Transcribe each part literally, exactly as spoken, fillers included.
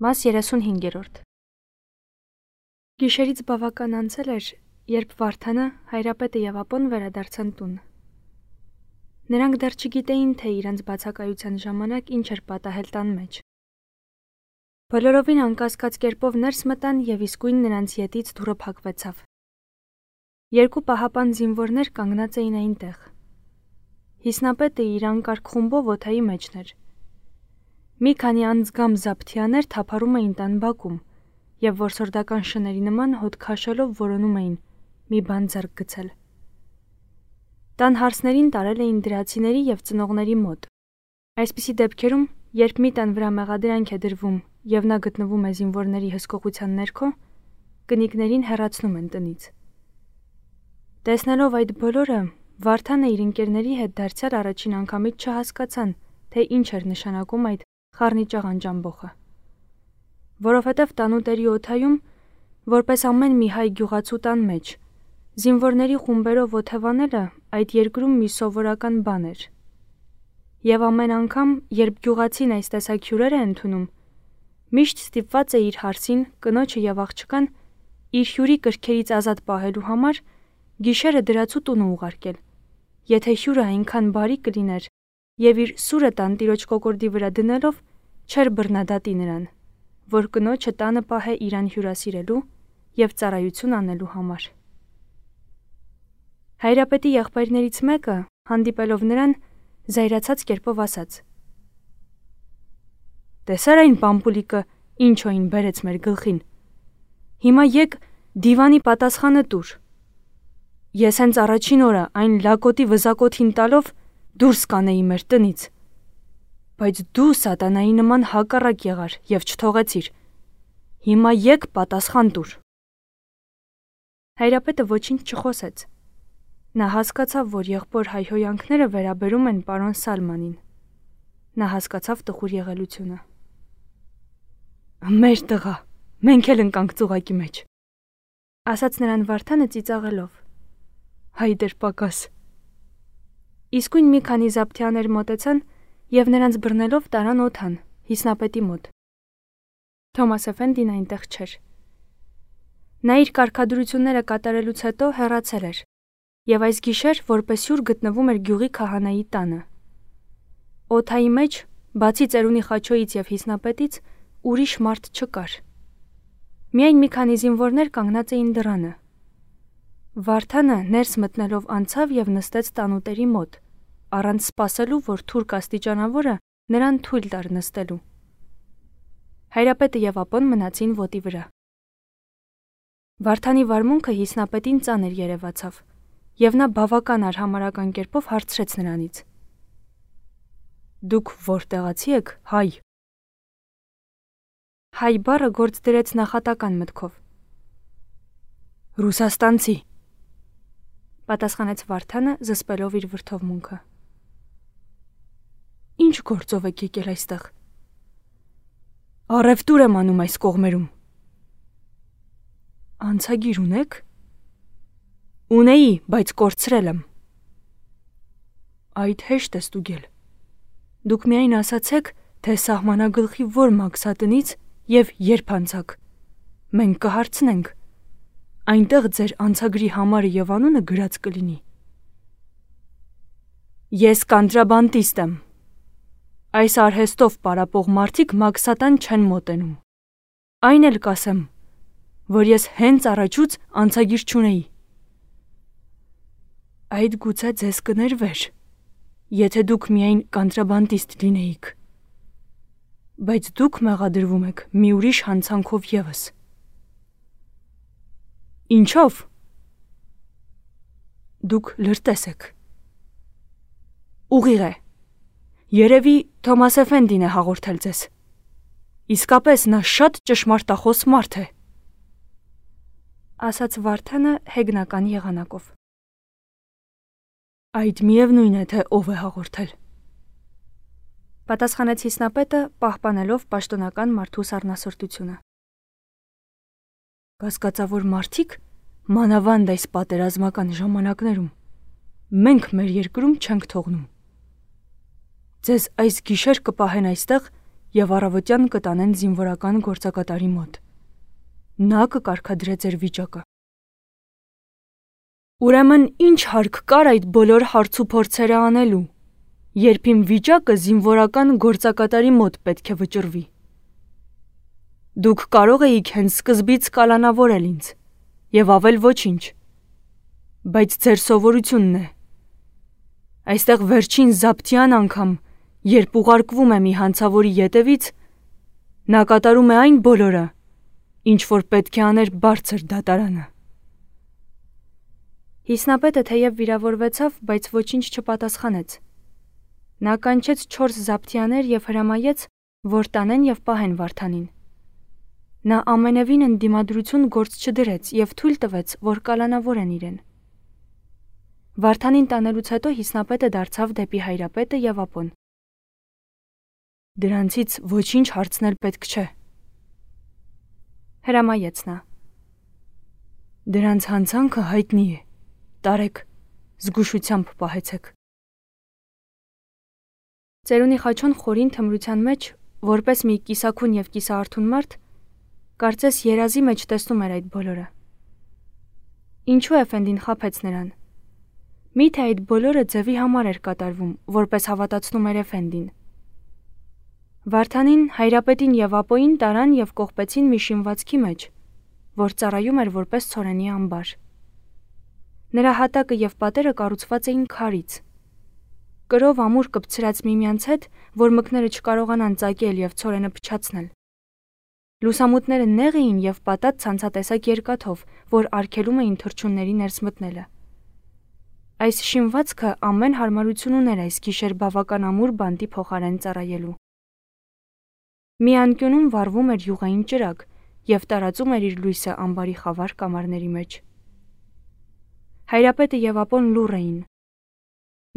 Մաս երեսունհինգերորդ Գիշերից բավական անցել էր, երբ Վարդանը, Հայրապետը և Ապոն վերադարձան տուն։ Նրանք դեռ չգիտեին, թե իրենց բացակայության ժամանակ ինչ էր պատահել տան մեջ։ Բոլորովին անկասկած կերպով ներս մտան և իսկույն նրանց ետից դուռը փակվեցավ։ Երկու պահապան զինվորներ կանգնած էին այնտեղ։ Հիսնապետը իր անկարգ խումբով օդայի մեջն էր։ Մի քանի անձգամ զապթիաներ թափառում էին տան բակում և որսորդական շների նման հոտ քաշելով որոնում էին մի բան ձեռք գցել։ Տան հարսներին տարել էին դրացիների և ծնողների մոտ։ Այսպիսի դեպքերում, երբ մի տան վրա մեղադրանք է դրվում և նա գտնվում է զինվորների հսկողության ներքո, կնիկներին հեռացնում են տնից։ Տեսնելով այդ բոլորը, Վարդանը իր ընկերների հետ դարձյալ առաջին անգամից չհասկացան, թե ինչ էր նշանակում այդ խառնիճաղ անջամբոխը։ Որովհետև տանուտերի օդայում, որպես ամեն մի հայ գյուղացու տան մեջ, զինվորների խումբերով օթևանելը այդ երկրում մի սովորական բան էր։ Եվ ամեն անգամ, երբ գյուղացին այս տեսակ հյուրեր է ընդունում, միշտ ստիպված է իր հարսին, կնոջը և աղջկան իր հյուրի կրքերից ազատ պահելու համար գիշերը դրացու տունը ուղարկել, եթե հյուրը այնքան բարի կլիներ և իր սուրը տանտիրոջ կոկորդի վրա դնելով չէր բռնադատի նրան, որ կնոջը տանը պահե իրան հյուրասիրելու և ծառայություն անելու համար։ Հայրապետի եղբայրներից մեկը, հանդիպելով նրան, զայրացած կերպով ասաց. «Տեսա՞ր այն պամպուլիկը, ինչ օին բերեց մեր գլխին։ Հիմա եկ դիվանի պատասխանը տուր։ Ես հենց առաջին օրը այն լակոտի վզակոթին տալով դուրս կանեի մեր տնից, բայց դու սատանայի նման հակառակ եղար և չթողեցիր։ Հիմա եկ պատասխան տուր»։ Հայրապետը ոչինչ չխոսեց։ Նա հասկացավ, որ եղբոր հայհոյանքները վերաբերում են պարոն Սալմանին։ Նա հասկացավ տխուր եղելությունը։ «Մեր տղա, մենք էլ ընկանք ծուղակի մեջ», ասաց նրան Վարդանը ծիծաղելով։ «Հայ դեր պակաս»։ Իսկույն մի քանի զապթիաներ մոտեցան և նրանց բռնելով տարան օդան, Հիսնապետի մոտ։ Թոմաս Էֆենդին այնտեղ չէր։ Նա իր կարգադրությունները կատարելուց հետո հեռացել էր և այս գիշեր որպես հյուր գտնվում էր գյուղի քահանայի տանը։ Օդայի մեջ, բացի ծերունի Խաչոյից և Հիսնապետից, ուրիշ մարդ չկար։ Միայն մի քանի զինվորներ կանգնած էին դռանը։ Վարդանը ներս մտնելով անցավ և նստեց տանուտերի մոտ, առանց սպասելու, որ թուրք աստիճանավորը նրան թույլ տար նստելու։ Հայրապետը և Ապոն մնացին ոտի վրա։ Վարդանի վարմունքը Հիսնապետին ծանր երևացավ, և նա բավական արհամարհական կերպով հարցրեց նրանից. «Դուք որտեղացի եք, հայ»։ Հայ բառը գործ դրեց նախատական մտքով։ «Ռուսաստանցի», պատասխանեց Վարդանը, զսպելով իր վրդովմունքը։ «Ինչ գործով եք եկել այստեղ»։ «Առևտուր եմ անում այս կողմերում»։ «Անցագիր ունե՞ք»։ «Ունեի, բայց կորցրել եմ»։ «Այդ հեշտ է ստուգել։ Դուք միայն ասացեք, թե սահմանագլխի որ մաքսատնից և երբ անցաք։ Մենք կհարցնենք։ Այնտեղ ձեր անցագրի համարը և անունը գրած կլինի»։ «Ես կանտրաբանդիստ եմ։ Այս արհեստով պարապող մարդիկ մաքսատան չեն մոտենում։ Այն էլ կասեմ, որ ես հենց առաջուց անցագիր չունեի»։ «Այդ գուցե ձեզ կներվեր, եթե դուք միայն կանտրաբանդիստ լինեիք։ Բայց դուք մեղադրվում եք մի ուրիշ հանցանքով ևս»։ «Ինչո՞վ»։ «Դուք լրտես եք»։ «Ուղիղ է։ Երևի Թոմաս Էֆենդին է հաղորդել ձեզ։ Իսկապես նա շատ ճշմարտախոս մարդ է», ասաց Վարդանը հեգնական եղանակով։ «Այդ միևնույն է, թե ով է հաղորդել», պատասխանեց Հիսնապետը, պահպանելով պաշտոնական մարդու սառնասրտությունը։ «Կասկածավոր մարդիկ, մանավանդ այս պատերազմական ժամանակներում, մենք մեր երկրում չենք թողնում։ Ձեզ այս գիշեր կպահեն այստեղ եւ առավոտյան կտանեն զինվորական գործակատարի մոտ։ Նա կկարգադրե ձեր վիճակը։ Ուրեմն ինչ հարկ կար այդ բոլոր հարցուփորձերը անելու, երբ իմ վիճակը զինվորական գործակատարի մոտ պետք է վճռվի։ Դուք կարող էիք հենց սկզբից կալանավորել ինձ եւ ավել ոչինչ, բայց ձեր սովորությունն է։ Այստեղ վերջին զաբթյան անգամ, երբ ուղարկվում է մի հանցավորի ետևից, նա կատարում է այն բոլորը, ինչ որ պետք է աներ բարձր դատարանը։ Հիսնապետը թեև վիրավորվեցավ, բայց ոչինչ չպատասխանեց։ Նա կանչեց չորս զաբթյաներ եւ հրամայեց, որ տանեն եւ պահեն Վարդանին։ Նա ամենևին ընդդիմադրություն գործ չդրեց եւ թույլ տվեց, որ կալանավորեն իրեն։ Վարդանին տանելուց հետո հիսնապետը դարձավ դեպի հայրապետը եւ ապոն։ Դրանցից ոչինչ հարցնել պետք չէ, հրամայեց նա։ Դրանց հանցանքը հայտնի է, տարեք, զգուշությամբ պահեցեք։ Ծերունի Խաչոն խորին թմրության մեջ, որպես մի կիսաքուն եւ կիսաարթուն մարդ, կարծես երազի մեջ տեսնում էր այդ բոլորը։ Ինչու Էֆենդին խաբեց նրան։ Միթե այդ բոլորը ձևի համար էր կատարվում, որպես հավատացնում էր Էֆենդին։ Վարդանին, հայրապետին եւ ապոին տարան եւ կողպեցին մի շինվածքի մեջ, որ ծառայում էր որպես ցորենի ամբար։ Նրա հատակը եւ պատերը կառուցված էին քարից։ Կրով ամուր կպցրած միմյանց հետ, որ մկները չկարողանան ծակել եւ ցորենը փչացնել։ Լուսամուտները նեղ էին եւ պատած ցանցատեսակ երկաթով, որ արգելում էին թռչունների ներս մտնելը։ Այս շինվածքը ամեն հարմարություն ուներ այս գիշեր բավական ամուր բանտի փոխարեն ծառայելու։ Մի անկյունում վառվում էր յուղային ճրագ եւ տարածում էր իր լույսը ամբարի խավար կամարների մեջ։ Հայրապետը եւ ապոն լուռ էին։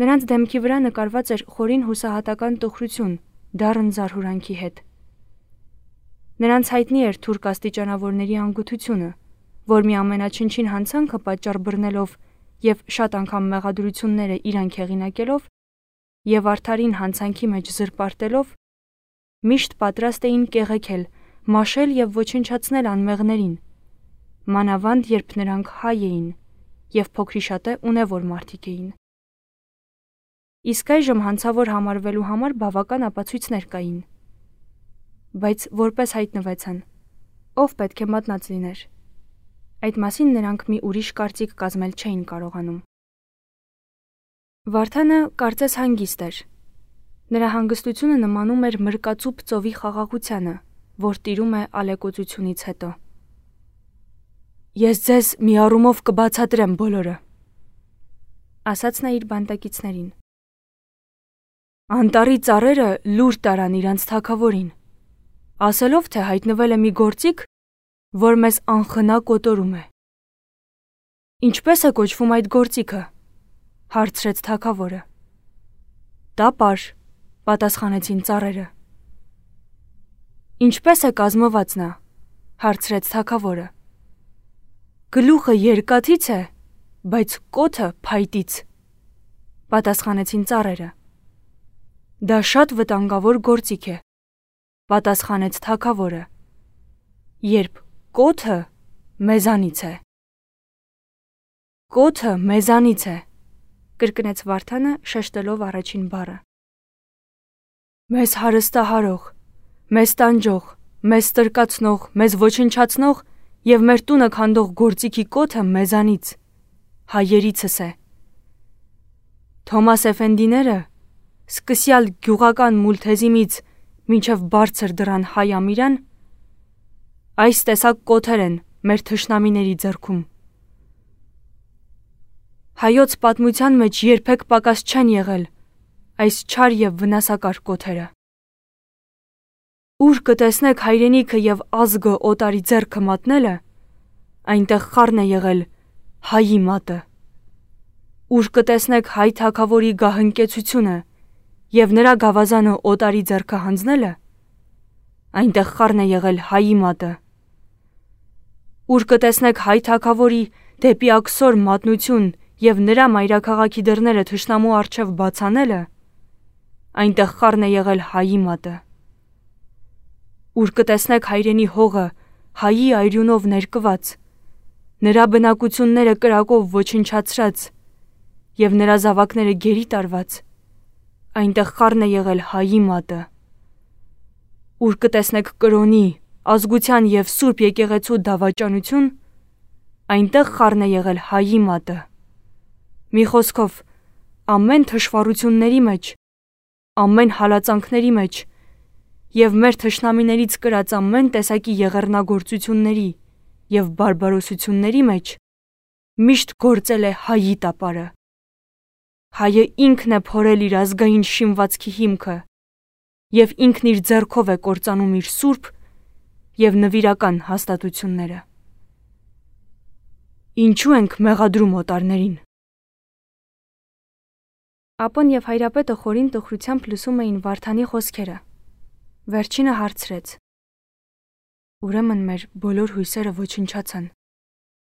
Նրանց դեմքի վրա նկարված էր խորին հուսահատական տխրություն, դառն զարհուրանքի հետ։ Նրանց հայտնի էր թուրք աստիճանավորների անգութությունը, որ մի ամենաչնչին հանցանքը պատճառ բռնելով եւ շատ անգամ մեղադրությունները իրանք հեղինակելով եւ արդարին հանցանքի մեջ զրպարտելով, միշտ պատրաստ էին կեղեքել, մաշել եւ ոչնչացնել անմեղներին, մանավանդ երբ նրանք հայ էին եւ փոքրիշատե ունևոր մարդիկ էին։ Իսկ այժմ հանցավոր համարվելու համար բավական ապացույցներ կային։ Բայց որպես հայտնվեցան, ով պետք է մատնած լիներ։ Այդ մասին նրանք մի ուրիշ կարծիք կազմել չէին կարողանում։ Վարդանը կարծես հանգիստ էր։ Նրա հանգստությունը նմանում էր մրկածուփ ծովի խաղաղությանը, որ տիրում է ալեկոծությունից հետո։ Ես ձեզ մի առումով կբացատրեմ բոլորը, ասաց նա իր բանտակիցներին։ Անտառի ծառերը լուր տարան իրանց թագավորին, ասելով, թե հայտնվել է մի գործիք, որ մեզ անխնա կոտորում է։ Ինչպես է կոչվում այդ գործիքը, հարցրեց թագավորը։ Տապար, պատասխանեցին ծառերը։ Ինչպես է կազմված նա, հարցրեց թագավորը։ Գլուխը երկաթից է, բայց կոթը փայտից, պատասխանեցին ծառերը։ Դա շատ վտանգավոր գործիք է, պատասխանեց թագավորը, երբ կոթը մեզանից է։ Կոթը մեզանից է, կրկնեց Վարդանը, շեշտելով առաջին բառը։ Մեզ հարստահարող, մեզ տանջող, մեզ ստրկացնող, մեզ ոչնչացնող եւ մեր տունը քանդող գործիքի կոթը մեզանից, հայերիցս է։ Թոմաս Էֆենդիները, սկսյալ գյուղական Մուլթեզիմից մինչև բարձր դրան հայ ամիրան, այս տեսակ կոթեր են մեր թշնամիների ձեռքում։ Հայոց պատմության մեջ երբեք պակաս չեն եղել այս չար եւ վնասակար կոթերը։ Ուր կտեսնեք հայրենիքը եւ ազգը օտարի ձեռքը մատնելը, այնտեղ խառն է եղել հայի մատը։ Ուր կտեսնեք հայ թագավորի գահընկեցությունը եւ նրա գավազանը օտարի ձեռքը հանձնելը, այնտեղ խառն է եղել հայի մատը։ Ուր կտեսնեք հայ թագավորի դեպի աքսոր մատնություն եւ նրա մայրաքաղաքի դռները թշնամու առջև բացանելը, այնտեղ խառն է եղել հայի մատը։ ուր կտեսնեք հայրենի հողը հայի այրյունով ներկված, նրա բնակությունները կրակով ոչնչացրած և նրա զավակները գերի տարված, այնտեղ խառն է եղել հայի մատը։ Ուր կտեսնեք կրոնի, ազգության և սուրբ եկեղեցու դավաճանություն, այնտեղ խառն է եղել հայի մատը։ Մի խոսքով, ամեն թշվառությունների մեջ, ամեն հալածանքների մեջ և մեր թշնամիներից կրած ամեն տեսակի եղեռնագործությունների և բարբարոսությունների մեջ միշտ գործել է հայի տապարը։ Հայը ինքն է փորել իր ազգային շինվածքի հիմքը և ինքն իր ձեռքով է կործանում իր սուրբ և նվիրական հաստատությունները։ Ինչու ենք մեղադրում օտարներին։ Ապոն և հայրապետը խորին տխրությամբ լսում էին Վարդանի խոսքերը։ Վերջինը հարցրեց. Ուրեմն մեր բոլոր հույսերը ոչնչացան։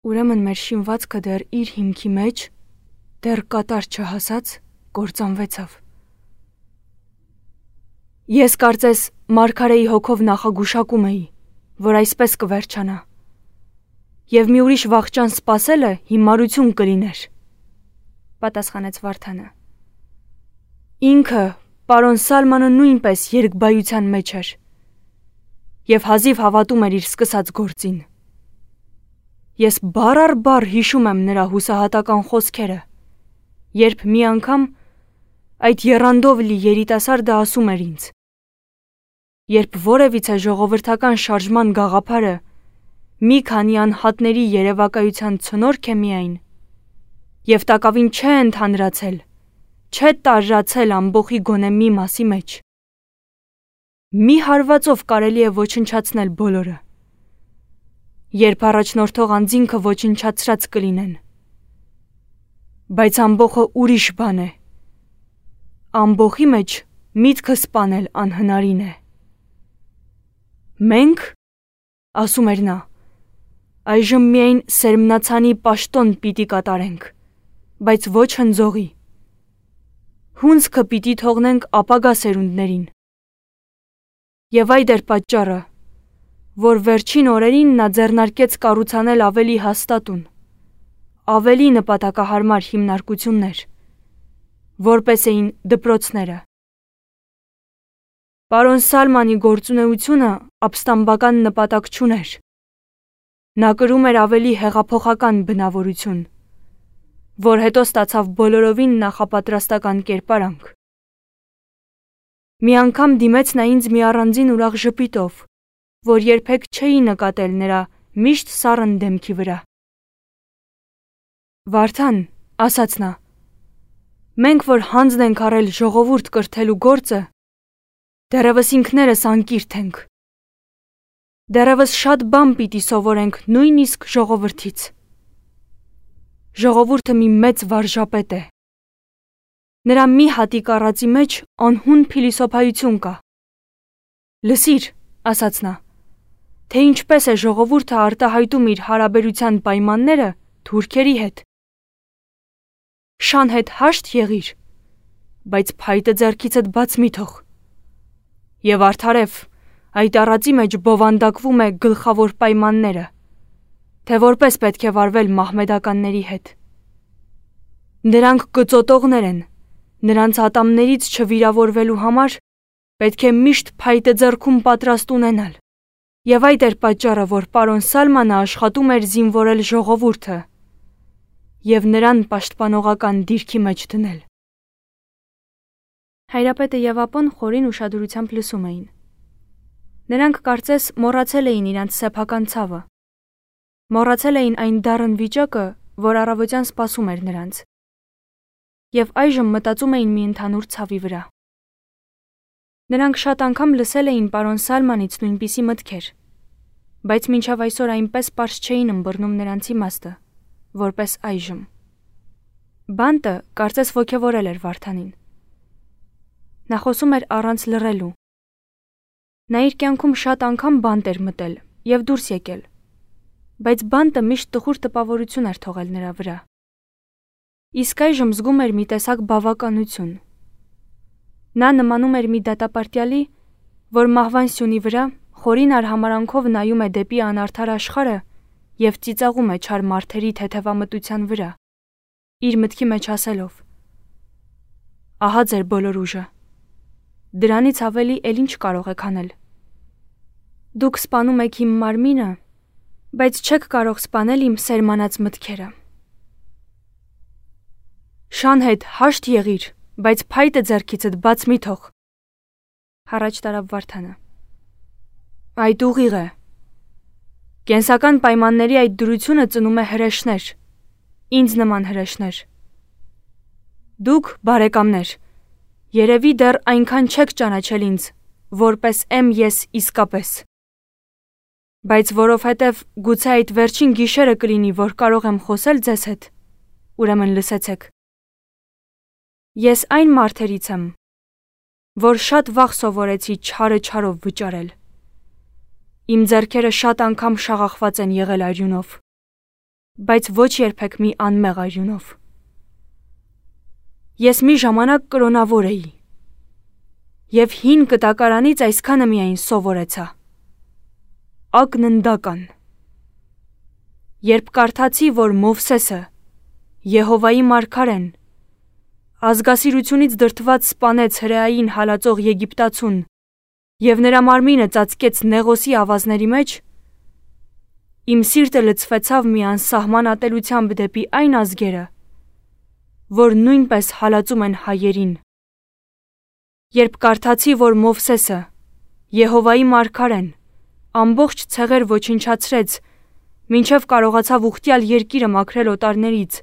Ուրեմն մեր շինվածքը դեռ իր հիմքի մեջ, դեռ կատար չհասած, կործանվեցավ։ Ես կարծես մարգարեի հոգով նախագուշակում էի, որ այսպես կվերջանա, և մի ուրիշ վախճան սպասելը հիմարություն կլիներ, պատասխանեց Վարդանը։ Ինքը, պարոն Սալմանը նույնպես երկբայության մեջ էր և հազիվ հավատում էր իր սկսած գործին։ Ես բառ առ բառ հիշում եմ նրա հուսահատական խոսքերը, երբ մի անգամ այդ եռանդով լի երիտասարդը ասում էր ինձ. երբ որևիցե ժողովրդական շարժման գաղափարը մի քանի անհատների երևակայության ցնորք է միայն, և տակավին չէ ընդհանրացել, չէ տարրացել ամբոխի գոնե մի մասի մեջ, մի հարվածով կարելի է ոչնչացնել բոլորը, երբ առաջնորդող անձինքը ոչնչացրած կլինեն, բայց ամբոխը ուրիշ բան է, ամբոխի մեջ միտքը սպանել անհնարին է։ Մենք, ասում էր նա, այժմ միայն սերմնացանի պաշտոն պիտի կատարենք, բայց ոչ հնձողի։ Հունձքը պիտի թողնենք ապագա սերունդներին։ Եվ այդ էր պատճառը, որ վերջին օրերին նա ձեռնարկեց կառուցանել ավելի հաստատուն, ավելի նպատակահարմար հիմնարկություններ, որպես էին դպրոցները։ Պարոն Սալմանի գործունեությունը ապստամբական նպատակ չուներ։ Նա կրում էր ավելի հեղափոխական բնավորություն, որ հետո ստացավ բոլորովին նախապատրաստական կերպարանք։ Մի անգամ դիմեց նա ինձ մի առանձին ուրախ ժպիտով, որ երբեք չէի նկատել նրա միշտ սառն դեմքի վրա։ Վարդան, ասաց նա, մենք որ հանձն ենք առել ժողովուրդ կրթելու գործը, դեռևս ինքներս անկիրթ ենք։ Դեռևս շատ բան պիտի սովորենք նույնիսկ ժողովրդից։ Ժողովուրդը մի մեծ վարժապետ է։ Նրա մի հատիկ առածի մեջ անհուն փիլիսոփայություն կա։ Լսիր, ասաց նա, թե ինչպես է ժողովուրդը արտահայտում իր հարաբերության պայմանները թուրքերի հետ։ Շան հետ հաշտ եղիր, բայց փայտը ձեռքիցդ բաց մի թող։ Եվ արդարև, այդ առածի մեջ բովանդակվում է գլխավոր պայմանները, թե որպես պետք է վարվել մահմեդականների հետ։ Նրանք կծոտողներ են, նրանց ատամներից չվիրավորվելու համար պետք է միշտ փայտը ձեռքում պատրաստ ունենալ, և այդ էր պատճառը, որ պարոն Սալմանը աշխատում էր զինվորել ժողովուրդը և նրան պաշտպանողական դիրքի մեջ դնել։ Հայրապետը և ապոն խորին ուշադրությամբ լսում էին։ Նրանք կարծես մոռացել էին իրանց սեփական ցավը։ Մոռացել էին այն դառն վիճակը, որ առավոտյան սպասում էր նրանց։ Եվ այժմ մտածում էին մի ընդհանուր ցավի վրա։ Նրանք շատ անգամ լսել էին պարոն Սալմանից նույնպիսի մտքեր, բայց մինչև այսօր այնպես պարզ չէին ըմբռնում նրանց իմաստը, որպես այժմ։ Բանտը կարծես ոգևորել էր Վարդանին։ Նա խոսում էր առանց լռելու։ Նա իր կյանքում շատ անգամ բանտ էր մտել և դուրս եկել, բայց բանտը միշտ տխուր տպավորություն էր թողել նրա վրա։ Իսկ այժմ զգում էր մի տեսակ բավականություն։ Նա նմանում էր մի դատապարտյալի, որ մահվան սյունի վրա խորին արհամարանքով նայում է դեպի անարդար աշխարհը և ծիծաղում է չար մարդերի թեթևամտության վրա, իր մտքի մեջ ասելով. «Ահա ձեր բոլոր ուժը, դրանից ավելի էլ ինչ կարող եք անել։ Դուք սպանում եք իմ մարմինը, բայց չեք կարող սպանել իմ սերմանած մտքերը։ Շան հետ հաշտ եղիր, բայց փայտը ձեռքիցդ բաց մի թող»։ Հառաչ տարավ Վարդանը։ Այդ ուղիղ է։ Կենսական պայմանների այդ դրությունը ծնում է հրեշներ, ինձ նման հրեշներ։ Դուք, բարեկամներ, երևի դեռ այնքան չեք ճանաչել ինձ, որպես եմ ես իսկապես։ Բայց որովհետև գուցե այդ վերջին գիշերը կլինի, որ կարող եմ խոսել ձեզ հետ, ուրեմն լսեցեք։ Ես այն մարդերից եմ, որ շատ վաղ սովորեցի չարը չարով վճարել։ Իմ ձեռքերը շատ անգամ շաղախված են եղել արյունով, բայց ոչ երբեք մի անմեղ արյունով։ Ես մի ժամանակ կրոնավոր էի, և հին կտակարանից այսքանը միայն սովորեցա. ակննդական։ Երբ կարդացի, որ Մովսեսը, Եհովայի մարգարեն, ազգասիրությունից դրդված սպանեց հրեային հալածող Եգիպտացուն և նրա մարմինը ծածկեց Նեղոսի ավազների մեջ, իմ սիրտը լցվեցավ մի անսահման ատելությամբ դեպի այն ազգերը, որ նույնպես հալածում են հայերին։ Երբ կարդացի, որ Մովսեսը, Եհովայի մարգարեն, ամբողջ ցեղեր ոչնչացրեց, մինչև կարողացավ ուխտյալ երկիրը մաքրել օտարներից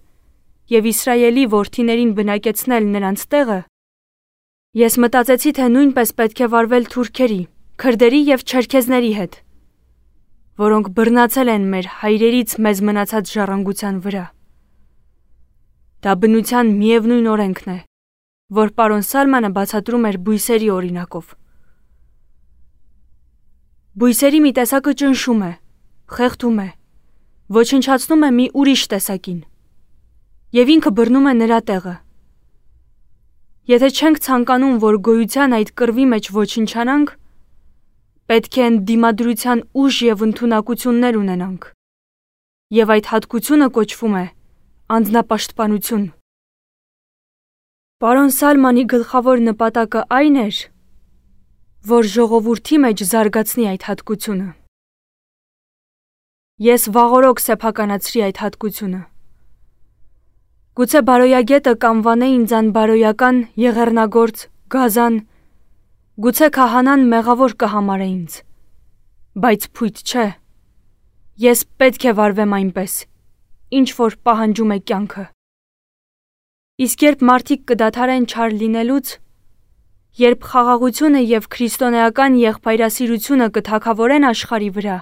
և Իսրայելի որդիներին բնակեցնել նրանց տեղը, ես մտածեցի, թե նույնպես պետք է վարվել թուրքերի, քրդերի և չերքեզների հետ, որոնք բռնացել են մեր հայրերից մեզ մնացած ժառանգության վրա։ Դա բնության միևնույն օրենքն է, որ պարոն Սալմանը բացատրում էր բույսերի օրինակով։ Բույսերի մի տեսակը ճնշում է, խեղդում է, ոչնչացնում է մի ուրիշ տեսակին, և ինքը բռնում է նրա տեղը։ Եթե չենք ցանկանում, որ գոյության այդ կռվի մեջ ոչնչանանք, պետք է ընդդիմադրության ուժ և ընդունակություններ ունենանք, և այդ հատկությունը կոչվում է անձնապաշտպանություն։ Պարոն Սալմանի գլխավոր նպատակը այն էր, որ ժողովրդի մեջ զարգացնի այդ հատկությունը։ Ես վաղօրոք սեփականացրի այդ հատկությունը։ Գուցե բարոյագետը կանվանե ինձ անբարոյական, եղեռնագործ, գազան, գուցե քահանան մեղավոր կհամարե ինձ, բայց փույթ չէ, ես պետք է վարվեմ այնպես, ինչ որ պահանջում է կյանքը։ Իսկ երբ մարդիկ կդադարեն չար լինելուց, երբ խաղաղությունը և քրիստոնեական եղբայրասիրությունը կթագավորեն աշխարհի վրա,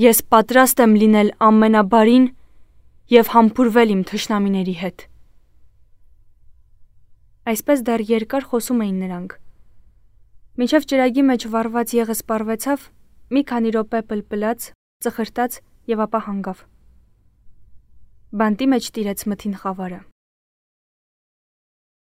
ես պատրաստ եմ լինել ամենաբարին և համբուրվել իմ թշնամիների հետ։ Այսպես դեռ երկար խոսում էին նրանք, մինչև ճրագի մեջ վառված եղը սպառվեցավ, մի քանի րոպե պլպլաց, ծխրտաց և ապա հանգավ։ Բանտի մեջ տիրեց մթին խավարը։